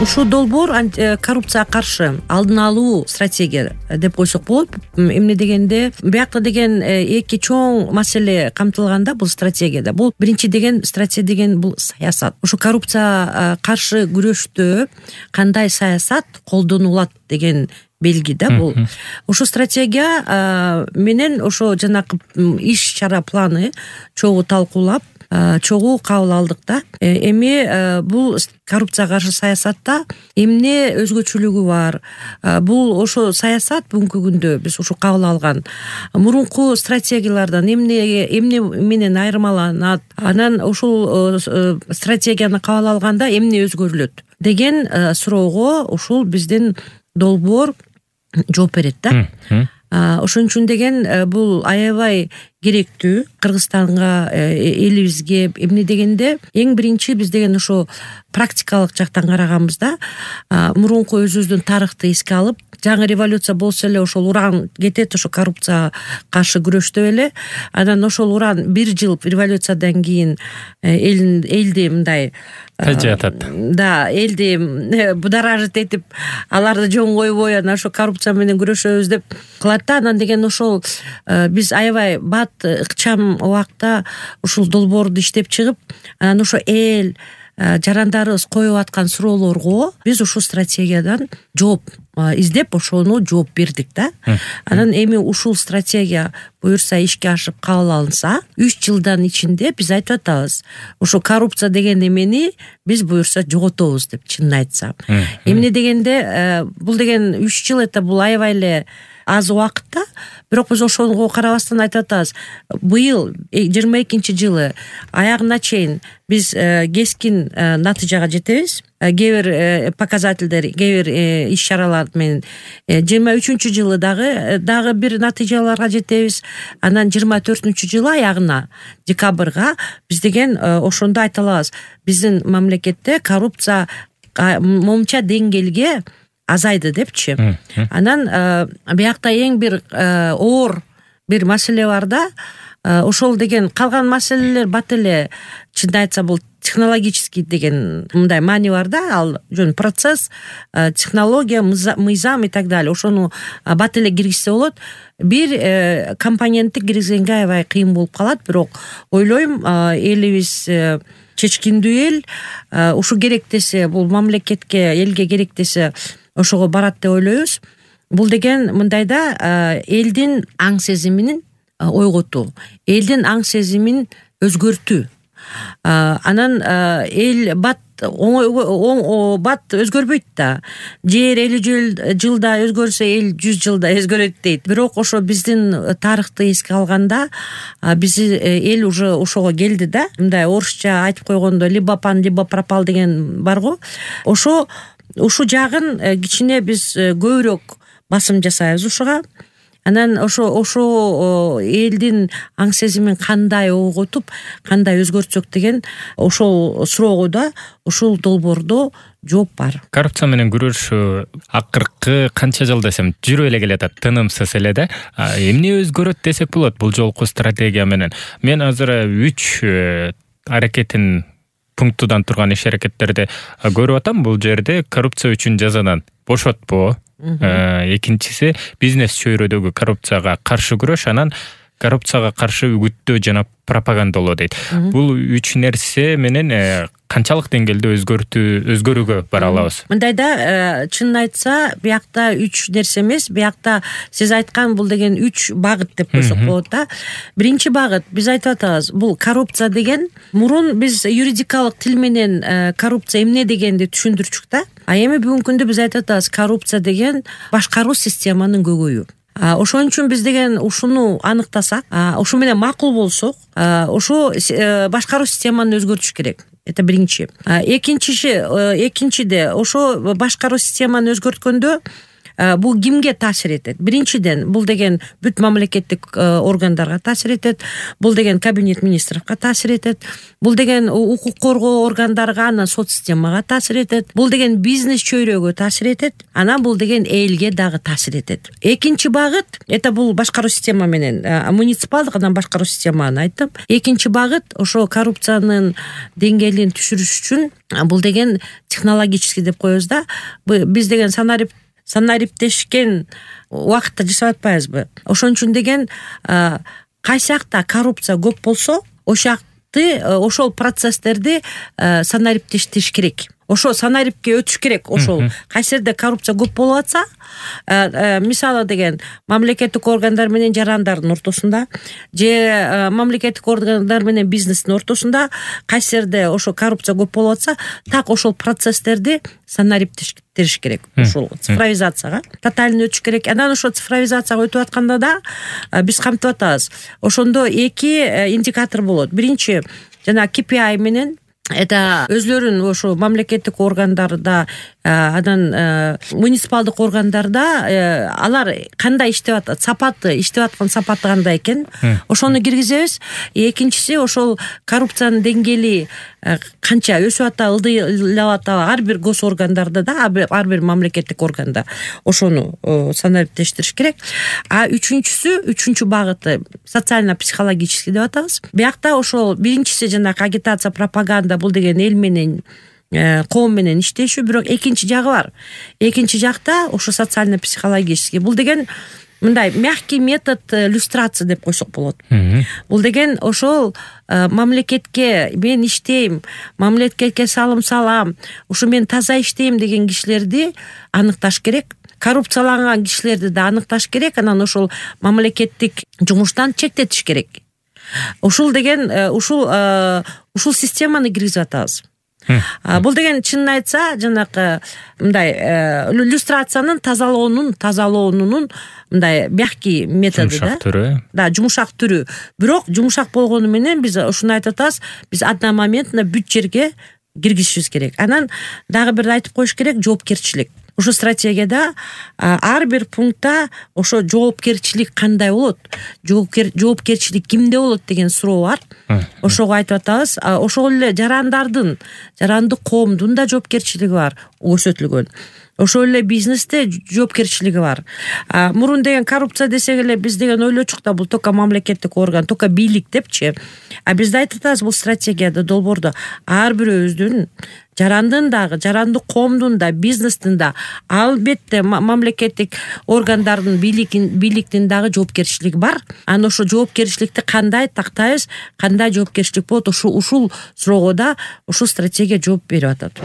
Ушул долбоор коррупцияга каршы алдын алуу стратегия деп койсок болот. Эмне дегенде биякта деген эки чоң маселе камтылганда бул стратегияда. Бул биринчи деген стратегия деген бул саясат. Ушу коррупцияга каршы күрөштө кандай саясат колдонулат деген белги да бул. Ушу стратегия менен ошо жанакы иш чара планы чогуу талкуулап, чогуу кабыл алдык да. Эми бул коррупцияга каршы саясатта эмне өзгөчөлүгү бар? Бул ошо саясат бүгүнкү күндө биз ушу кабыл алган мурунку стратегиялардан эмне менен айырмаланат? Анан ушул стратегияны кабыл алганда эмне өзгөрүлөт деген суроого ушул биздин долбоор жооп берет да. Ошон үчүн деген бул аябай керектүү Кыргызстанга, элибизге. Эмне дегенде эң биринчи биз деген ошо практикалык жактан караганбызда мурунку өзүбүздүн тарыхты эске алып, жаңы революция болсо эле ошол уран кетет ошо коррупцияга каршы күрөштө эле. Анан ошол уран 1 жыл революциядан кийин элди мындай тажатат. Да, элди будоражит этип, аларды жөн койбой анан ошо коррупция менен күрөшөбүз деп кылат да. Анан деген ошол биз аябай бат ыкчам убакта ушул долбоорду иштеп чыгып, анан ошо эл жарандарыбыз коюп аткан суроолорго биз ушул стратегиядан жооп издеп, ошону жооп бердик да. Анан эми ушул стратегия буюрса ишке ашып кабыл алынса, 3 жылдан ичинде биз айтып атабыз, ошо коррупция деген эмени биз буюрса жоготобуз деп, чынын айтсам. Эмне дегенде бул деген 3 жыл это бул аябай эле аз убакыт да. Бирок биз ошого карабастан айтып атабыз, быйыл 22-жылы аягына чейин биз кескин натыйжага жетебиз. Кээ бир показательдер, кээ бир иш-чаралар менен 23-жылы дагы бир натыйжаларга жетебиз. Анан 24-жылы аягына, декабрга биз деген ошондо айта алабыз, биздин мамлекетте коррупция момча деңгээлге азайды депчи. Анан биякта эң бир оор бир маселе бар да. Ошол деген калган маселелер бат эле, чынын айтса бул технологический деген мындай маани бар да, ал жөн процесс, технология, мыйзам и так далее. Ошону бат эле киргизсе болот. Бир компонентти киргизгенге аябай кыйын болуп калат, бирок ойлойм элибиз чечкиндүү эл, ушу керек десе, бул мамлекетке, элге керек десе ошого барат деп ойлойбуз. Бул деген мындай да, элдин аң сезимин ойготуу, элдин аң сезимин өзгөртүү. Анан эл бат бат өзгөрбөйт да. Жер 50 жылда өзгөрсө, эл 100 жылда өзгөрөт дейт. Бирок ошо биздин тарыхты эске алганда биз эл уже ошого келди да. Мындай орусча айтып койгондо либо пан, либо пропал деген бар го. Ушу жагын кичине биз көбүрөөк басым жасайбыз ушуга. Анан ошо элдин аң сезимин кандай ойготуп, кандай өзгөртсөк деген ошол суроого да ушул долбоордо жооп бар. Коррупция менен күрөшүү акыркы канча жыл десем жүрө эле келатат, тынымсыз эле да. Эмне өзгөрөт десек болот бул жолку стратегия менен? Мен азыр 3 аракетин пунктудан турган иш-аракеттерди көрүп атам. Бул жерде коррупция үчүн жазадан бошотпоо, экинчиси бизнес чөйрөдөгү коррупцияга каршы күрөш, анан коррупцияга каршы үгүттөө жана пропагандалоо дейт. Бул 3 нерсе менен канчалык деңгээлде өзгөрүүгө бара алабыз? Мындайда, чынын айтса, биякта 3 нерсе эмес, биякта сиз айткан бул деген 3 багыт деп койсок болот да. Биринчи багыт, биз айтып атабыз, бул коррупция деген, мурун биз юридикалык тил менен коррупция эмне дегенди түшүндүрчүк да. А эми бүгүнкү күндө биз айтып атабыз, коррупция деген башкаруу системанын көйгөйү. Ошон үчүн биз деген ушуну аныктасак, ушу менен макул болсок, ошо башкаруу системаны өзгөртүш керек. Это биринчи. Экинчиде ошо башкаруу системаны өзгөрткөндө бул кимге таасир этет? Биринчиден, бул деген бүт мамлекеттик органдарга таасир этет. Бул деген кабинет министровго таасир этет. Бул деген укук коргоо органдарга, анан соц системага таасир этет. Бул деген бизнес чөйрөгө таасир этет. Анан бул деген элге дагы таасир этет. Экинчи багыт, это бул башкаруу система менен муниципалдык анан башкаруу системаны айттым. Экинчи багыт ошо коррупциянын деңгээлин түшүрүш үчүн бул деген технологический деп коебуз да. Биз деген санариптешкен убакытта жасап атпайбызбы? Ошон үчүн деген кайсы жакта коррупция көп болсо, ошол процесстерди санариптештириш керек. Ошо санарипке өтүш керек. Ошол кайсы жерде коррупция көп болуп атса, мисалы деген мамлекеттик органдар менен жарандардын ортосунда же мамлекеттик органдар менен бизнестин ортосунда кайсы жерде ошо коррупция көп болуп атса, так ошол процесстерди санариптештириш керек. Ошол цифровизацияга тотально өтүш керек. Анан ошо цифровизацияга өтүп атканда да биз камтып атабыз. Ошондо эки индикатор болот. Биринчи жана KPI менен, это өзлөрүн ошо мамлекеттик органдарда, анан муниципалдык органдарда алар кандай иштеп атат, сапаты, иштеп аткан сапаты кандай экен, ошону киргизебиз. Экинчиси, ошол коррупциянын деңгээли канча өсүп атабы, ылдыйлап атабы ар бир гос органдарда да, ар бир мамлекеттик органда ошону санариптештириш керек. Үчүнчү багыты социально-психологический деп атабыз. Биякта ошол биринчиси жанагы агитация, пропаганда, бул деген эл менен, коом менен иштешүү, бирок экинчи жагы бар. Экинчи жакта ошо социально-психологический. Бул деген мындай мягкий метод иллюстрации деп койсок болот. Бул деген ошол мамлекетке мен иштейм, мамлекетке салым салам, ушу мен таза иштейм деген кишилерди аныкташ керек. Коррупцияланган кишилерди да аныкташ керек. Анан ошол мамлекеттик жумуштан чектетиш керек. Ушул деген ушул системаны киргизип атабыз. Бул деген чынын айтса, жанагы мындай иллюстрациянын тазалоонунун мындай мягкий методу да. Жумшак түрү. Да, жумшак түрү. Бирок жумшак болгону менен биз ушуну айтып атабыз, биз одномоментно бүт жерге киргизишибиз керек. Анан дагы бир айтып коюш керек, жоопкерчилик. Ошо стратегияда ар бир пунктта ошо жоопкерчилик кандай болот, жоопкерчилик кимде болот деген суроо бар. Ошого айтып атабыз. Ошол эле жарандык коомдун да жоопкерчилиги бар, көрсөтүлгөн. Ошол эле бизнесте жоопкерчилиги бар. Мурун деген коррупция десек эле биз деген ойлочук да, бул только мамлекеттик орган, только бийлик депчи. Бизде айтып атабыз, бул стратегияда долбоордо ар бирөөбүздүн, жарандын дагы, жарандык коомдун да, бизнестин да, албетте мамлекеттик органдардын, бийликтин дагы жоопкерчилиги бар. Анан ошо жоопкерчиликти кандай тактайбыз, кандай жоопкерчилик болот, ушул суроого да ушул стратегия жооп берип атат.